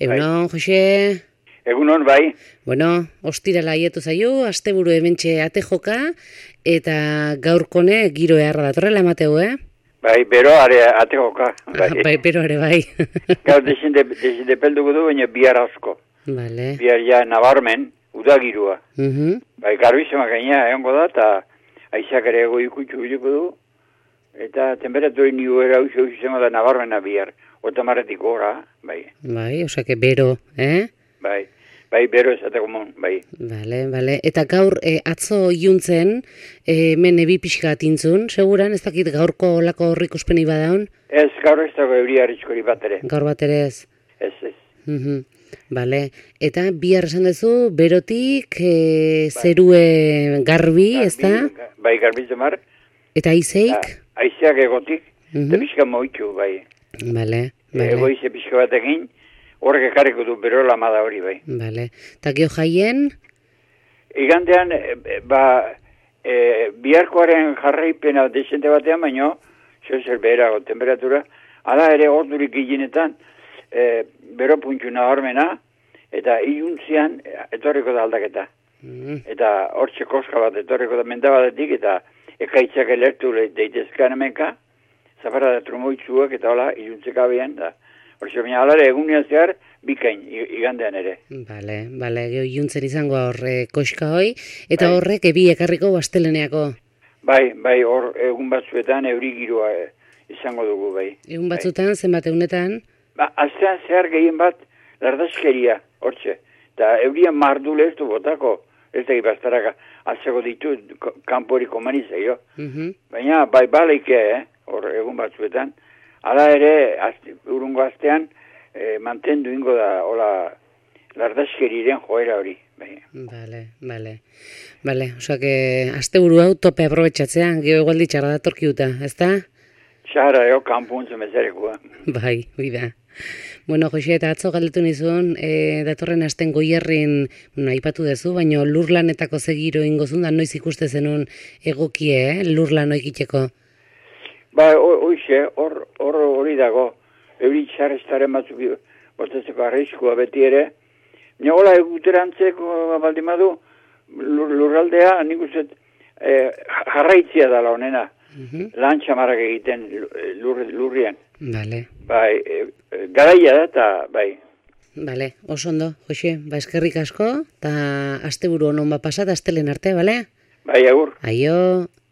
Egunon, Jose? Egunon, bai. Bueno, ostirala aietu zaio, asteburu hementxe ate joka, eta gaurkone giro eharra datorrela emateu, Bai, bero ate joka. Bai, bero ere bai. Gaur desindepelduko du, baina bihar asko. Vale. Bihar ja nabarmen, udagirua. Bai, garbizema gaina egongo da, eta aizak ere ego ikutxu bileko du, eta temperaturi nigu era izango da nabarmena bihar. Otomarretik gora, bai. Bai, osake bero, Bai, bero esateko mon, bai. Bale. Eta gaur atzo iluntzen, hemen ebi pixka atintzun, seguran, ez dakit gaurko olako horrik uspeni badaun? Ez, gaur ez dago euria arriskori bat ere. Gaur bat ere ez? Ez. Bale, eta bihar esan duzu, berotik zerue garbi, ez da? Bai, garbi zemar. Eta aizeik? Aizeak egotik, eta pixka moitxu, bai. Bale. Egoize pixka batekin, horrek ekarriko du berola amada hori, bai. Bale, eta geho jaien? Igandean, biharkoaren jarraipena desente batean, baino, zer beherago temperatura, ala ere ordurik ginetan, bero puntxu nabarmena, eta iluntzian etorriko da aldaketa. Eta hortxe koska bat etorriko da mendabadetik, eta ekaitzak elertu deitezkan hemenka, zaparra da trumoitzuak eta hola, iluntzeka behan, da. Hortxe, baina alare egunean zehar, bikain, igandean ere. Bale, geho iluntzen izango horre koska hoi, eta horrek ebi ekarriko asteleneako. Bai, hor egun batzuetan euri giroa izango dugu, bai. Egun batzuetan, zenbat egunetan? Astean zehar gehien bat, lardaskeria, hortxe. Eta eurian mardule ez du botako, ez da gibaztaraka, atzeko ditu, kanporiko manizai, Baina, bai baleike, hor egun batzuetan, hala ere, urungo astean, mantendu ingo da, hola, lardazkeriren joera hori. Bale, osak, asteburu hau tope aprobetxatzean, geho egualdi txarra datorkiuta, ez da? Txarra, kanpuntzen mezarekua. Bai, da. Bueno, Jose, eta atzo galdetu nizun, datorren asten Goierrin, aipatu dezu, baina lurlanetako zegiro ingozun da, noiz ikuste zenun egokie, lurlan oikiteko? Ba, hoxe, hori dago, euri txarrestaren batzuk bostatzeko arrizkoa beti ere. Hola eguterantzeko baldimadu, lurraldea, nik uste jarraitzia dala honena, lan txamarrak egiten lurrian. Bale. Bai, garaia da, eta bai. Bale, oso ondo, Jose, eskerrik asko, eta asteburu honon pasat, astelen arte, bale? Bai, agur. Aio.